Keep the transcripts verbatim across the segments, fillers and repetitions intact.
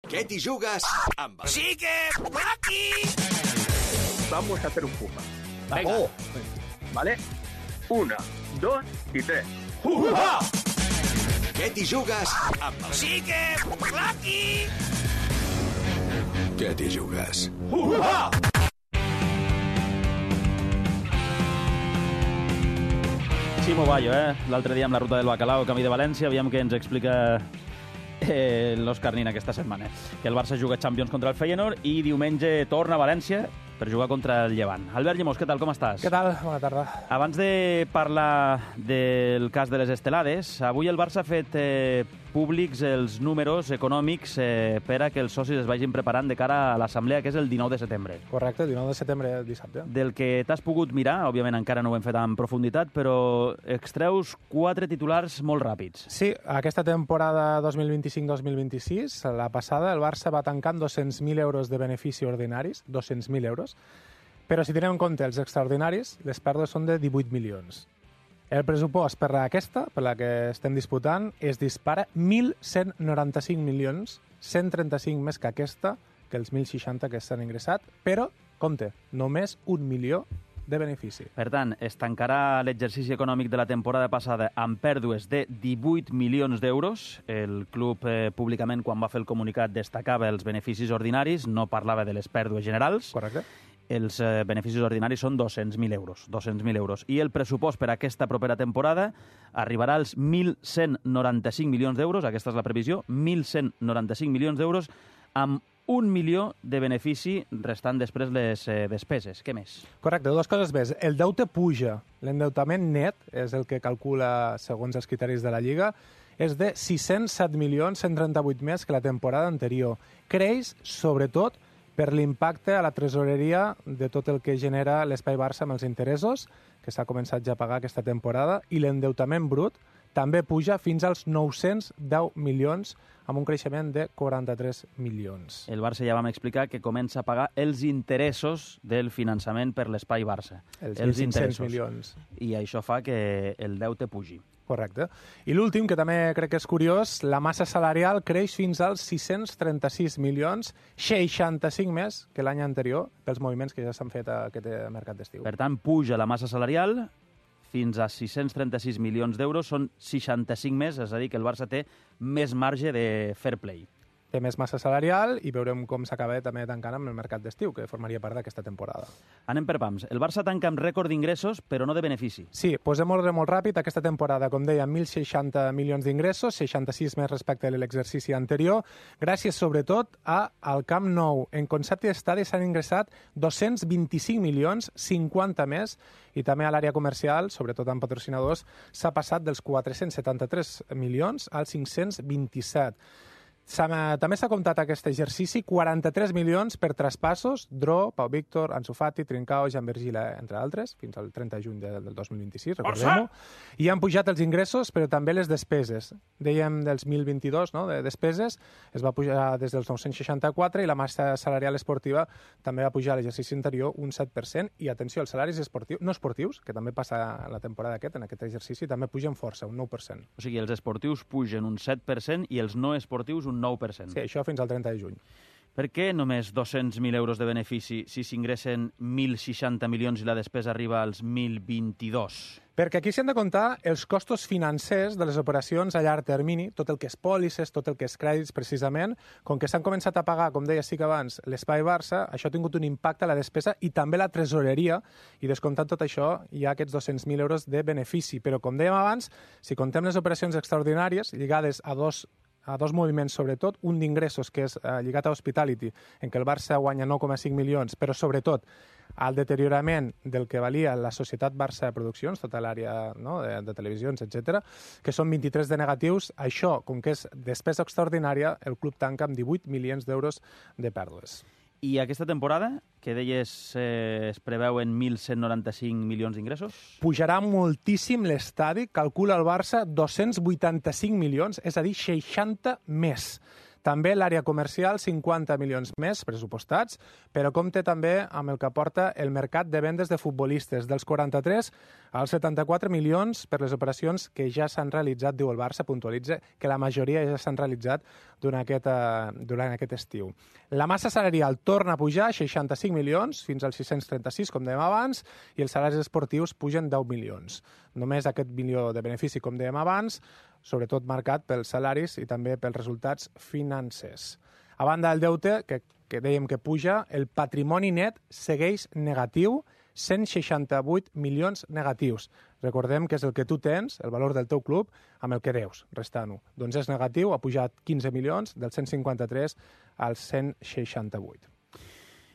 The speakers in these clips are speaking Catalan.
¿Qué t'hi jugues? Amb... ¡Sí que aquí! Vamos a hacer un puja. Venga. Oh. ¿Vale? Una, dos y tres. ¡Juja! Què t'hi jugues? Amb... ¡Sí que aquí! Què t'hi jugues? ¡Juja! Ximo Bayo, eh? L'altre dia amb la ruta del Bacalao, camí de València, aviam què ens explica eh, l'Òscar Nin aquesta setmana. Que el Barça juga Champions contra el Feyenoord i diumenge torna a València per jugar contra el Llevant. Albert Llemós, què tal, com estàs? Què tal? Bona tarda. Abans de parlar del cas de les estelades, avui el Barça ha fet eh, públics els números econòmics eh, per a que els socis es vagin preparant de cara a l'assemblea, que és el dinou de setembre. Correcte, el dinou de setembre, dissabte. Del que t'has pogut mirar, òbviament encara no ho hem fet en profunditat, però extreus quatre titulars molt ràpids. Sí, aquesta temporada dos mil vint-i-cinc dos mil vint-i-sis, la passada, el Barça va tancar amb dos-cents mil euros de benefici ordinaris, dos-cents mil euros, però si tenem en compte els extraordinaris, les pèrdues són de divuit milions. El pressupost per aquesta, per la que estem disputant, es dispara mil cent noranta-cinc milions, cent trenta-cinc més que aquesta, que els mil seixanta que s'han ingressat, però, compte, només un milió de benefici. Per tant, es tancarà l'exercici econòmic de la temporada passada amb pèrdues de divuit milions d'euros. El club eh, públicament, quan va fer el comunicat, destacava els beneficis ordinaris, no parlava de les pèrdues generals. Correcte. Els eh, beneficis ordinaris són dos-cents mil euros. dos-cents mil euros. I el pressupost per a aquesta propera temporada arribarà als mil cent noranta-cinc milions d'euros, aquesta és la previsió, mil cent noranta-cinc milions d'euros, amb un milió de benefici restant després les eh, despeses. Què més? Correcte, dues coses més. El deute puja. L'endeutament net, és el que calcula segons els criteris de la Lliga, és de sis-cents set milions cent trenta-vuit més que la temporada anterior. Creix, sobretot, per l'impacte a la tresoreria de tot el que genera l'Espai Barça amb els interessos, que s'ha començat ja a pagar aquesta temporada, i l'endeutament brut també puja fins als nou-cents deu milions, amb un creixement de quaranta-tres milions. El Barça ja vam explicar que comença a pagar els interessos del finançament per l'Espai Barça. Els mil cinc-cents milions. I això fa que el deute pugi. Correcte. I l'últim, que també crec que és curiós, la massa salarial creix fins als sis-cents trenta-sis milions, seixanta-cinc més que l'any anterior, pels moviments que ja s'han fet a aquest mercat d'estiu. Per tant, puja la massa salarial fins a sis-cents trenta-sis milions d'euros, són seixanta-cinc més, és a dir, que el Barça té més marge de fair play. Té més massa salarial i veurem com s'acaba també tancant amb el mercat d'estiu, que formaria part d'aquesta temporada. Anem per pams. El Barça tanca amb rècord d'ingressos, però no de benefici. Sí, posem ordre molt ràpid. Aquesta temporada, com deia, mil seixanta milions d'ingressos, seixanta-sis més respecte a l'exercici anterior, gràcies sobretot a al Camp Nou. En concepte d'estadi s'han ingressat dos-cents vint-i-cinc milions, cinquanta més, i també a l'àrea comercial, sobretot amb patrocinadors, s'ha passat dels quatre-cents setanta-tres milions als cinc-cents vint-i-set. També s'ha comptat aquest exercici quaranta-tres milions per traspassos, Dro, Pau Víctor, Ansu Fati, Trincao, Jan Vergila, entre altres, fins al trenta de juny del dos mil vint-i-sis, recordem-ho. I han pujat els ingressos, però també les despeses. Dèiem dels mil vint-i-dos, no?, de despeses, es va pujar des dels nou-cents seixanta-quatre i la massa salarial esportiva també va pujar a l'exercici anterior un set per cent. I atenció, els salaris esportius, no esportius, que també passa en la temporada aquest, en aquest exercici, també pugen força, un nou per cent. O sigui, els esportius pugen un set per cent i els no esportius un nou per cent. Sí, això fins al trenta de juny. Per què només dos-cents mil euros de benefici si s'ingressen mil seixanta milions i la despesa arriba als mil vint-i-dos? Perquè aquí s'han de comptar els costos financers de les operacions a llarg termini, tot el que és pòlisses, tot el que és crèdits, precisament. Com que s'han començat a pagar, com deia sí que abans, l'Espai Barça, això ha tingut un impacte a la despesa i també la tresoreria, i descomptant tot això hi ha aquests dos-cents mil euros de benefici. Però, com dèiem abans, si contem les operacions extraordinàries lligades a dos a dos moviments, sobretot, un d'ingressos, que és eh, lligat a Hospitality, en què el Barça guanya nou coma cinc milions, però sobretot al deteriorament del que valia la societat Barça de Produccions, tota l'àrea, no?, de, de televisions, etcètera, que són vint-i-tres de negatius. Això, com que és despesa extraordinària, el club tanca amb divuit milions d'euros de pèrdues. I aquesta temporada, que deies eh, es preveuen mil cent noranta-cinc milions d'ingressos? Pujarà moltíssim l'estadi, calcula el Barça dos-cents vuitanta-cinc milions, és a dir, seixanta més. També l'àrea comercial, cinquanta milions més pressupostats, però compte també amb el que aporta el mercat de vendes de futbolistes, dels quaranta-tres als setanta-quatre milions per les operacions que ja s'han realitzat, diu el Barça, puntualitza que la majoria ja s'han realitzat durant aquest, uh, durant aquest estiu. La massa salarial torna a pujar, seixanta-cinc milions, fins als sis-cents trenta-sis, com dèiem abans, i els salaris esportius pugen deu milions. Només aquest milió de benefici, com dèiem abans, sobretot marcat pels salaris i també pels resultats financers. A banda del deute, que, que dèiem que puja, el patrimoni net segueix negatiu, cent seixanta-vuit milions negatius. Recordem que és el que tu tens, el valor del teu club, amb el que deus, restant-ho. Doncs és negatiu, ha pujat quinze milions, dels cent cinquanta-tres als cent seixanta-vuit.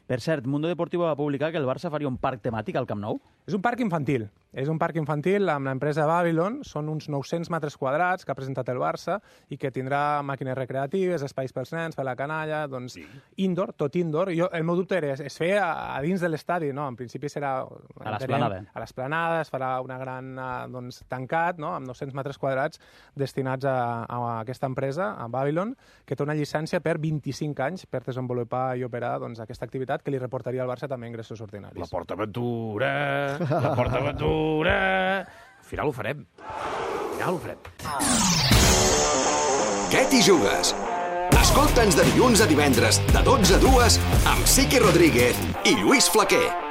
Per cert, Mundo Deportivo va publicar que el Barça faria un parc temàtic al Camp Nou. És un parc infantil. És un parc infantil amb l'empresa Babylon. Són uns nou-cents metres quadrats que ha presentat el Barça i que tindrà màquines recreatives, espais pels nens, per la canalla, doncs sí. Indoor, tot indoor. Jo, el meu dubte era, es feia a, a dins de l'estadi, no? En principi serà... A l'esplanada. A l'esplanada, es farà una gran, doncs, tancat, no? Amb nou-cents metres quadrats destinats a, a aquesta empresa, a Babylon, que té una llicència per vint-i-cinc anys per desenvolupar i operar, doncs, aquesta activitat que li reportaria al Barça també ingressos ordinaris. La PortAventura, la PortAventura... Al final ho farem. Al final ho farem. Què t'hi jugues? Escolta'ns de dilluns a divendres, de dotze a dues, amb Siqui Rodríguez i Lluís Flaquer.